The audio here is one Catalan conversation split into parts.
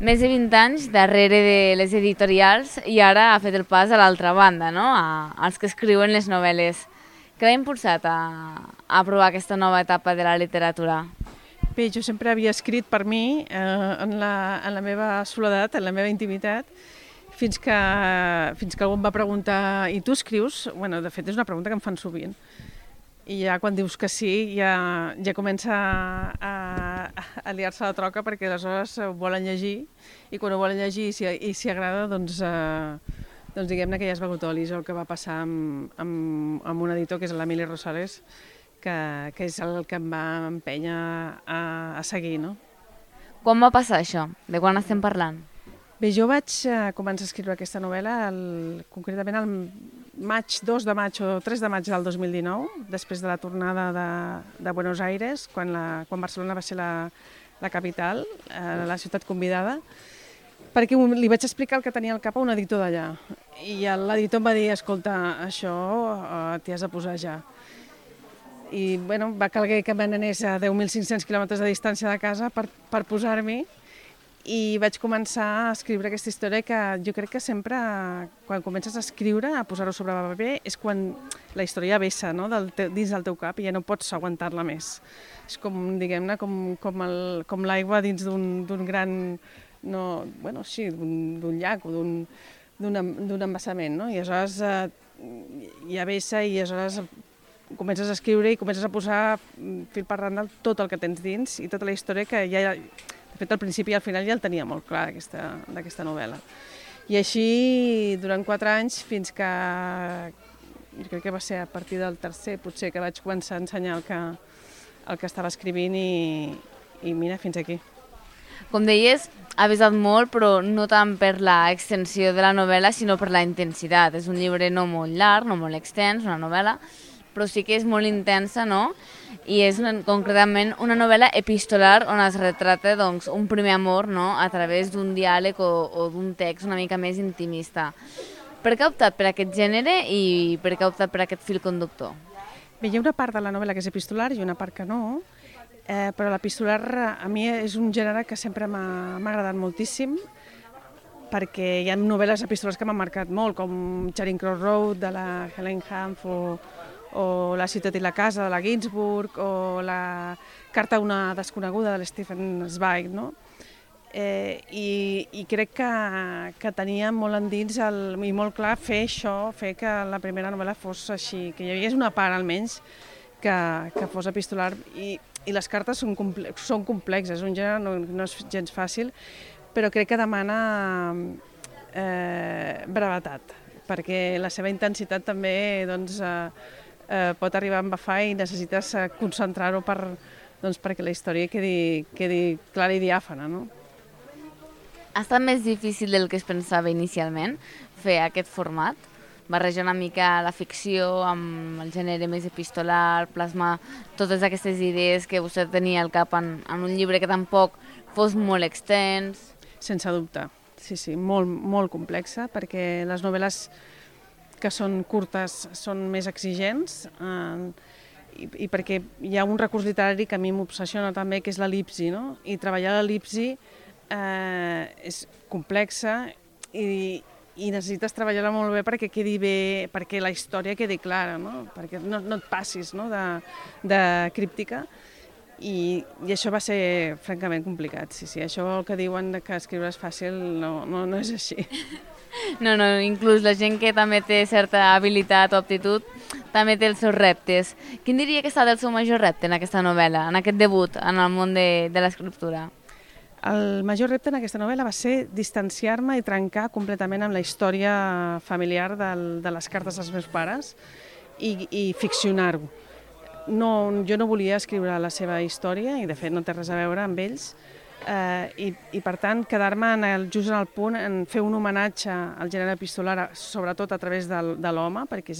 Més de 20 anys darrere de les editorials i ara ha fet el pas a l'altra banda, no? Als que escriuen les novel·les. Què l'ha impulsat a provar aquesta nova etapa de la literatura? Bé, jo sempre havia escrit per mi, en la meva soledat, en la meva intimitat, fins que algú em va preguntar, i tu escrius? Bueno, de fet és una pregunta que em fan sovint. I ja quan dius que sí, ja comença a liar-se la troca, perquè aleshores ho volen llegir, i quan ho volen llegir i si agrada, doncs diguem-ne que ja has begut olis, el que va passar amb un editor, que és l'Emili Rosales, que és el que em va empènyer a seguir, no? Quan va passar això? De quan estem parlant? Bé, jo vaig començar a escriure aquesta novel·la concretament el 2 de maig o 3 de maig del 2019, després de la tornada de Buenos Aires, quan Barcelona va ser la capital, la ciutat convidada, perquè li vaig explicar el que tenia al cap a un editor d'allà. I l'editor em va dir, escolta, això t'hi has de posar ja. I bueno, va calguer que me n'anés a 10.500 quilòmetres de distància de casa per posar-m'hi, i vaig començar a escriure aquesta història que jo crec que sempre, quan comences a escriure, a posar-ho sobre paper, és quan la història vessa, no? Dins del teu cap, i ja no pots aguantar-la més. És com, diguem-ne, com l'aigua dins d'un gran, no, bueno, sí, d'un llac o d'un embassament, no? I aleshores ja vessa, i aleshores comences a escriure i comences a posar fil per randa tot el que tens dins i tota la història que ja... De fet, al principi i al final ja el tenia molt clar, d'aquesta novel·la. I així, durant 4 anys, fins que jo crec que va ser a partir del tercer, potser, que vaig començar a ensenyar el que estava escrivint i mira, fins aquí. Com deies, ha pesat molt, però no tant per la extensió de la novel·la, sinó per la intensitat. És un llibre no molt llarg, no molt extens, una novel·la, però sí que és molt intensa, no? I és concretament una novel·la epistolar on es retrata doncs, un primer amor, no? A través d'un diàleg o d'un text una mica més intimista. Per què ha optat per aquest gènere i per què ha optat per aquest fil conductor? Bé, hi ha una part de la novel·la que és epistolar i una part que no, però l'epistolar a mi és un gènere que sempre m'ha agradat moltíssim, perquè hi ha novel·les epistolars que m'han marcat molt, com Charing Cross Road, de la Helen Hanff, o La ciutat i la casa, de la Ginsburg, o la carta a una desconeguda, de l'Stephen Zweig, no? I crec que tenia molt endins i molt clar fer això, fer que la primera novel·la fos així, que hi hagués una part almenys que fos epistolar, i les cartes són complexes, un gènere no és gens fàcil, però crec que demana brevetat, perquè la seva intensitat també pot arribar a embafar i necessites concentrar-ho perquè la història quedi clara i diàfana, no? Ha estat més difícil del que es pensava inicialment fer aquest format? Barrejar una mica la ficció amb el gènere més epistolar, plasmar totes aquestes idees que vostè tenia al cap en un llibre que tampoc fos molt extens? Sense dubte, sí, molt, molt complexa, perquè les novel·les que són curtes són més exigents i perquè hi ha un recurs literari que a mi m'obsessiona també, que és l'el·lipsi, no? I treballar l'el·lipsi és complexa i necessites treballar-la molt bé perquè quedi bé, perquè la història quedi clara, no? Perquè no et passis, no? de críptica. I això va ser francament complicat, sí. Això el que diuen que escriure és fàcil no és així. No, inclús la gent que també té certa habilitat o aptitud també té els seus reptes. Quin diria que ha estat el seu major repte en aquesta novel·la, en aquest debut en el món de l'escriptura? El major repte en aquesta novel·la va ser distanciar-me i trencar completament amb la història familiar de les cartes dels meus pares i ficcionar-ho. Jo no volia escriure la seva història i de fet no té res a veure amb ells, i per tant quedar-me just en el punt en fer un homenatge al gènere epistolar, sobretot a través de l'home, perquè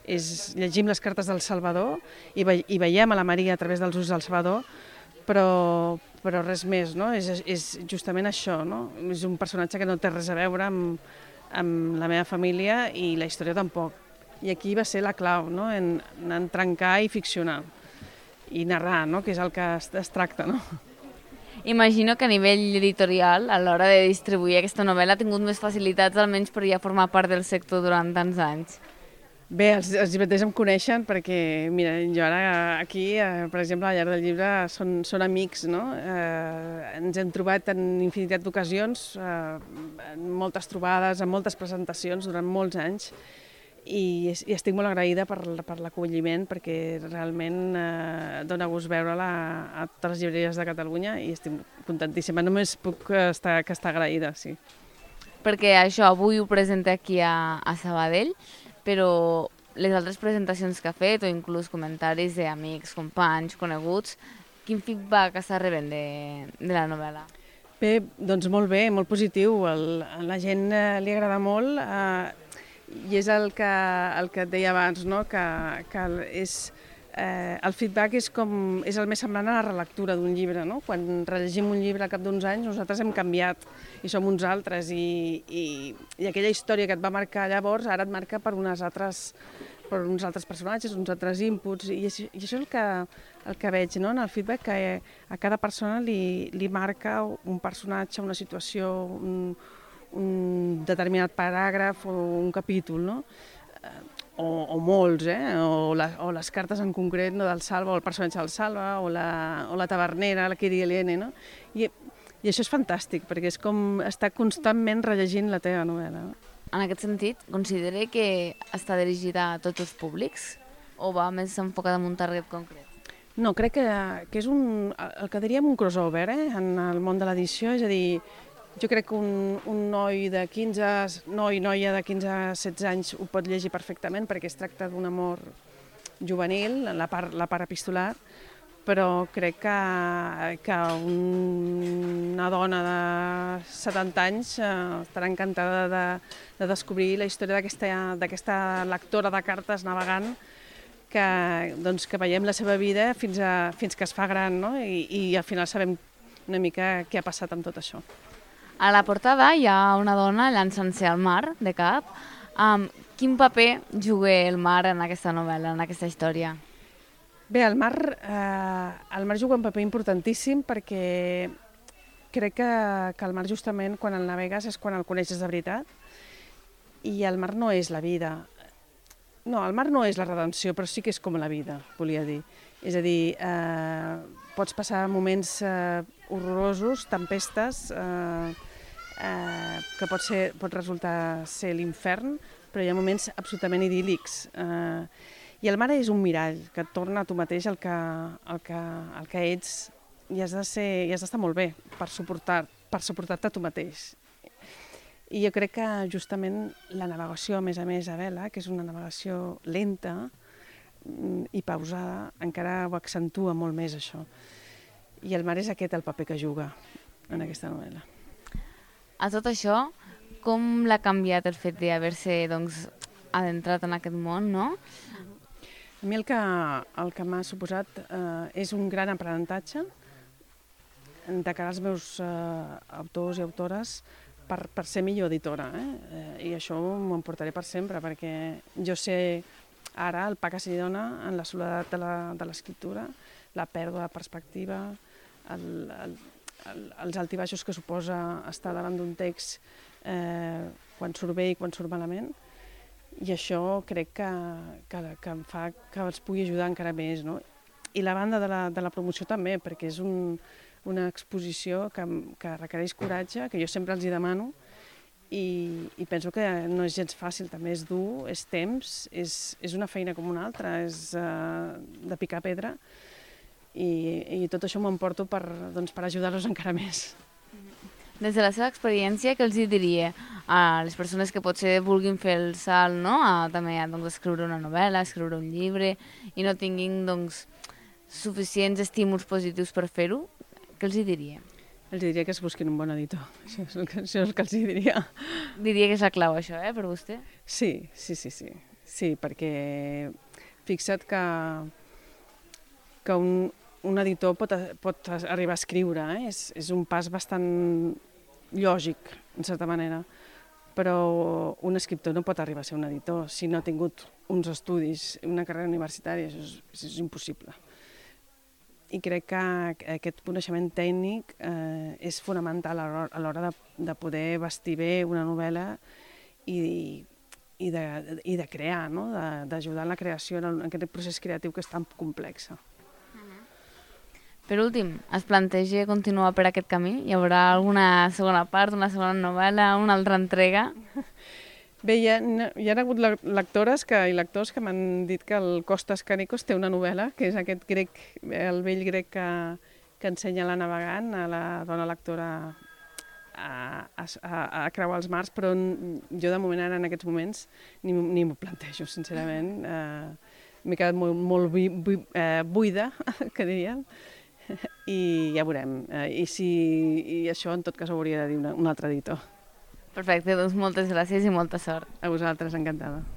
llegim les cartes del Salvador i veiem a la Maria a través dels ulls del Salvador, però res més, no? És justament això, no? És un personatge que no té res a veure amb la meva família i la història tampoc. I aquí va ser la clau, no? En trencar i ficcionar i narrar, no? Que és el que es tracta, no? Imagino que a nivell editorial, a l'hora de distribuir aquesta novel·la, ha tingut més facilitats, almenys per ja formar part del sector durant tants anys. Bé, els llibreters em coneixen perquè, mira, jo ara aquí, per exemple, a la llar del llibre són amics, no? Ens hem trobat en infinitat d'ocasions, en moltes trobades, en moltes presentacions durant molts anys, i estic molt agraïda per l'acolliment perquè realment dona gust veure-la a totes les llibreries de Catalunya i estic contentíssima. Només puc estar agraïda, sí. Perquè això avui ho presenta aquí a Sabadell, però les altres presentacions que ha fet o inclús comentaris d'amics, companys, coneguts, quin feedback està rebent de la novel·la? Bé, doncs molt bé, molt positiu. A la gent li agrada molt i és el que et deia abans, no? que el feedback és el més semblant a la relectura d'un llibre. No? Quan rellegim un llibre al cap d'uns anys, nosaltres hem canviat i som uns altres i aquella història que et va marcar llavors ara et marca per uns altres personatges, uns altres inputs, i això és el que veig, no? En el feedback, que a cada persona li marca un personatge, una situació, un determinat paràgraf o un capítol, no? O molts, o les cartes en concret, no, del Salva, o el personatge del Salva, o la tavernera, la Kiri Helene, no? I això és fantàstic, perquè és com estar constantment rellegint la teva novel·la. En aquest sentit, considera que està dirigida a tots els públics o va més enfocada en un target concret? No, crec que és el que diríem un crossover en el món de l'edició, és a dir, jo crec que un noi de 15, noia de 15-16 anys ho pot llegir perfectament perquè es tracta d'un amor juvenil, la part epistolar, però crec que una dona de 70 anys estarà encantada de descobrir la història d'aquesta lectora de cartes navegant que veiem la seva vida fins que es fa gran, no? I al final sabem una mica què ha passat amb tot això. A la portada hi ha una dona llançant-se al mar, de cap. Quin paper juga el mar en aquesta novel·la, en aquesta història? Bé, el mar juga un paper importantíssim perquè crec que el mar justament quan el navegues és quan el coneixes de veritat i el mar no és la vida. No, el mar no és la redenció, però sí que és com la vida, volia dir. És a dir, pots passar moments horrorosos, tempestes, que pot resultar ser l'infern, però hi ha moments absolutament idíl·lics. I el mar és un mirall que et torna a tu mateix el que ets i has d'estar molt bé per suportar-te a tu mateix. I jo crec que justament la navegació, a més a vela, que és una navegació lenta i pausada, encara ho accentua molt més això. I el mar és aquest el paper que juga en aquesta novel·la. A tot això, com l'ha canviat el fet d'haver-se adentrat en aquest món, no? A mi el que m'ha suposat és un gran aprenentatge de cara als meus autors i autores per ser millor editora. I això m'ho emportaré per sempre, perquè jo sé ara el pa que s'hi dona en la soledat de l'escriptura, la pèrdua de perspectiva, els altibaixos que suposa estar davant d'un text quan surt bé i quan surt malament. I això crec que em fa que els pugui ajudar encara més, no? I la banda de la promoció també, perquè és una exposició que requereix coratge, que jo sempre els hi demano, i penso que no és gens fàcil, també és dur, és temps, és una feina com una altra, és de picar pedra, i tot això m'ho emporto per ajudar-los encara més. Des de la seva experiència, què els diria a les persones que potser vulguin fer el salt, no? També a escriure una novel·la, escriure un llibre, i no tinguin suficients estímuls positius per fer-ho? Què els diria? Els diria que es busquin un bon editor, això és el que els diria. Diria que és la clau, això, per vostè? Sí, perquè fixa't que un editor pot arribar a escriure, és un pas bastant lògic, en certa manera, però un escriptor no pot arribar a ser un editor si no ha tingut uns estudis, una carrera universitària, això és impossible. i crec que aquest coneixement tècnic és fonamental a l'hora de poder vestir bé una novel·la i de crear, no? D'ajudar en la creació, en aquest procés creatiu que és tan complex. Per últim, es planteja continuar per aquest camí? Hi haurà alguna segona part, una segona novel·la, una altra entrega? Bé, hi ha hagut lectores i lectors que m'han dit que el Costas Canicos té una novel·la, que és aquest grec, el vell grec que ensenya a la navegant, a la dona lectora a creuar els mars, però jo de moment ara en aquests moments ni m'ho plantejo, sincerament. M'he quedat molt buida, que diríem, i ja veurem. I això en tot cas ho hauria de dir un altre editor. Perfecte, doncs moltes gràcies i molta sort. A vosaltres, encantada.